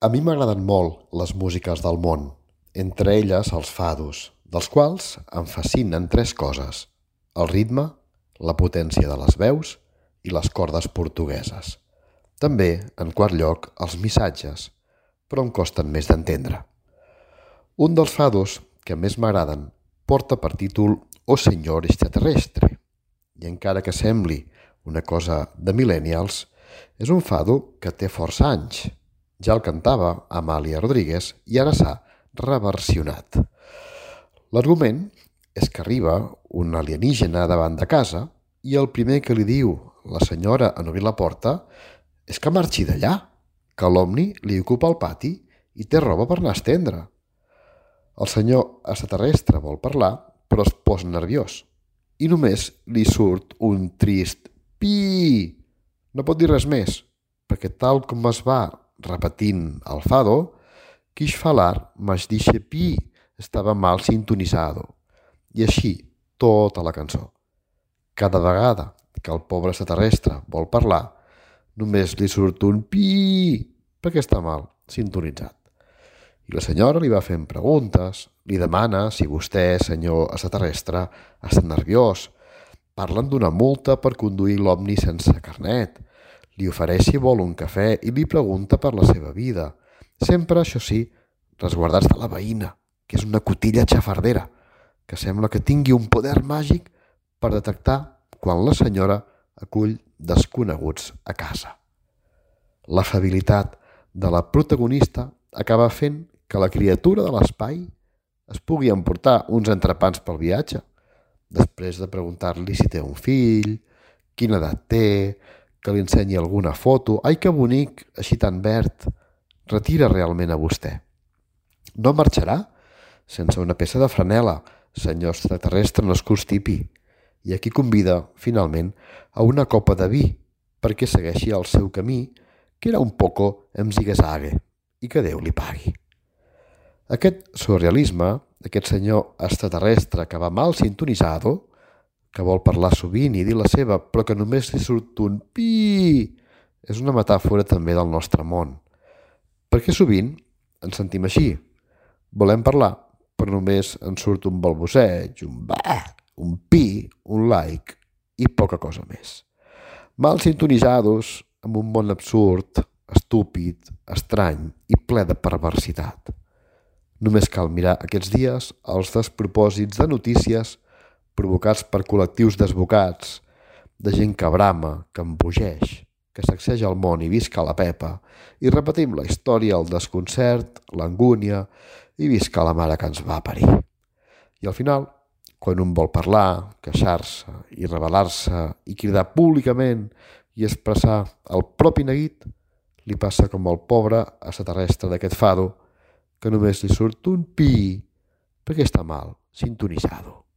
A mi m'agraden molt les músiques del món, entre elles els fados, dels quals em fascinen tres coses: el ritme, la potència de les veus i les cordes portugueses. També, en quart lloc, els missatges, però em costen més d'entendre. Un dels fados que més m'agraden porta per títol «O Señor Extraterrestre», i encara que sembli una cosa de millennials, és un fado que té força anys. Ja el cantava Amàlia Rodríguez i ara s'ha reversionat. L'argument és que arriba un alienígena davant de casa i el primer que li diu la senyora en obrir la porta és que marxi d'allà, que l'Omni li ocupa el pati i té roba per anar a estendre. El senyor extraterrestre vol parlar, però es posa nerviós i només li surt un trist «pi». No pot dir res més, perquè tal com es va repetint el fado, quix falar, mas dixe pi, estava mal sintonizado. I així, tota la cançó. Cada vegada que el pobre extraterrestre vol parlar, només li surt un pi, perquè està mal sintonitzat. I la senyora li va fent preguntes, li demana si vostè, senyor extraterrestre, està nerviós. Parlen d'una multa per conduir l'Omni sense carnet. Li ofereix si vol un cafè i li pregunta per la seva vida. Sempre, això sí, resguardats de la veïna, que és una cotilla xafardera, que sembla que tingui un poder màgic per detectar quan la senyora acull desconeguts a casa. L'afabilitat de la protagonista acaba fent que la criatura de l'espai es pugui emportar uns entrepans pel viatge, després de preguntar-li si té un fill, quina edat té, que li ensenyi alguna foto. Ai, que bonic, així tan verd. Retira realment a vostè. No marxarà sense una peça de franel·la, senyor extraterrestre, no es constipi. I aquí convida, finalment, a una copa de vi perquè segueixi el seu camí, que era un poco en zigue-zague, i que Déu li pagui. Aquest surrealisme, aquest senyor extraterrestre que va mal sintonizado, que vol parlar sovint i dir la seva, però que només li surt un pi, és una metàfora també del nostre món. Perquè sovint ens sentim així. Volem parlar, però només ens surt un balbuceig, un bà, un pi, un like i poca cosa més. Mal sintonizados, amb un món absurd, estúpid, estrany i ple de perversitat. Només cal mirar aquests dies els despropòsits de notícies provocats per col·lectius desbocats, de gent que brama, que embogeix, que sacseja el món i visca la pepa, i repetim la història, el desconcert, l'angúnia, i visca la mare que ens va parir. I al final, quan un vol parlar, queixar-se i rebel·lar-se i cridar públicament i expressar el propi neguit, li passa com al pobre extraterrestre d'aquest fado, que només li surt un pi perquè està mal sintonitzado.